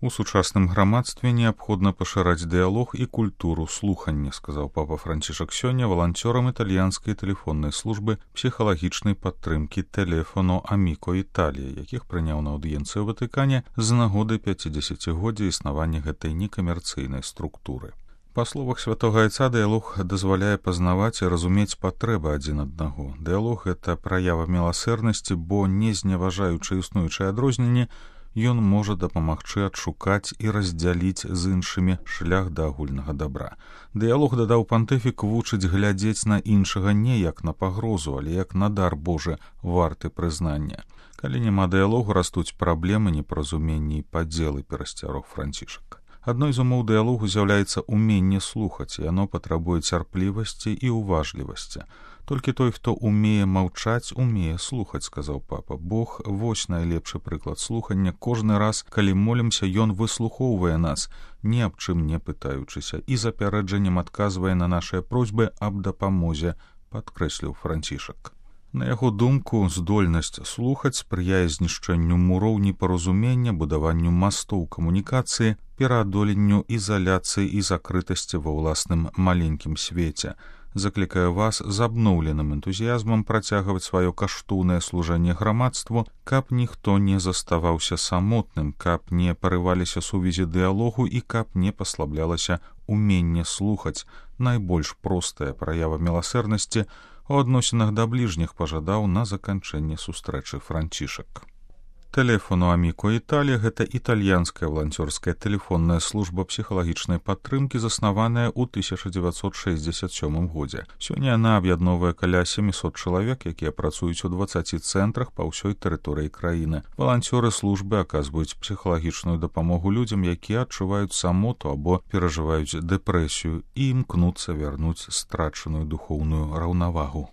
У сучасным грамадстве неабходна пашыраць дыялог і культуру слухання, сказаў папа Францішак сёння валанцёрам італьянскай тэлефоннай службы псіхалагічнай падтрымкі Telefono Amico Italia, якіх прыняў на аўдыенцыі ў Ватыкане з нагоды 50-годдзя існавання гэтай некамерцыйнай структуры. Па словах святога айца, дыялог дазваляе пазнаваць і разумець патрэбы адзін аднаго. Дыялог — гэта праява міласэрнасці, бо, не зневажаючы існуючыя адрозненні, ён можа дапамагчы адшукаць і раздзяліць з іншымі шлях да агульнага дабра. Дыялог, дадаў пантыфік, вучыць глядзець на іншага не як на пагрозу, але як на дар Божы, варты прызнання. Калі няма дыялогу, растуць праблемы, непаразуменні і падзелы, перасцярог Францішак. Адной з умоў дыялогу з'яўляецца уменне слухаць, і яно патрабуе цярплівасці і уважлівасці. Толькі той, хто умее маўчаць, умее слухаць, сказаў папа. Бог — вось найлепшы прыклад слухання. Кожны раз, калі молімся, ён выслухоўвае нас, ні аб чым не пытаючыся, і з апярэджаннем адказвае на нашыя просьбы аб дапамозе, падкрэсліў Францішак. На яго думку, здольнасць слухаць спрыяе знішчэнню муроў непаразумення, будаванню мастоў камунікацыі, пераадоленню ізаляцыі і закрытасці ва ўласным маленькім свеце. Заклікаю вас з абноўленым энтузіязмам працягваць сваё каштоўнае служэнне грамадству, каб ніхто не заставаўся самотным, каб не парываліся сувязі дыялогу і каб не паслаблялася уменне слухаць. Найбольш простая праява міласэрнасці у адносінах да бліжніх, пажадаў на заканчэнне сустрэчы Францішак. Telefono Amico Italia — гэта італьянская валанцёрская тэлефонная служба псіхалагічнай падтрымкі, заснаваная ў 1967 годзе. Сёння яна аб'ядноўвае каля 700 чалавек, якія працуюць у 20 цэнтрах па ўсёй тэрыторыі краіны. Валанцёры службы аказваюць псіхалагічную дапамогу людзям, якія адчуваюць самоту або перажываюць дэпрэсію і імкнуцца вярнуць страчаную духоўную раўнавагу.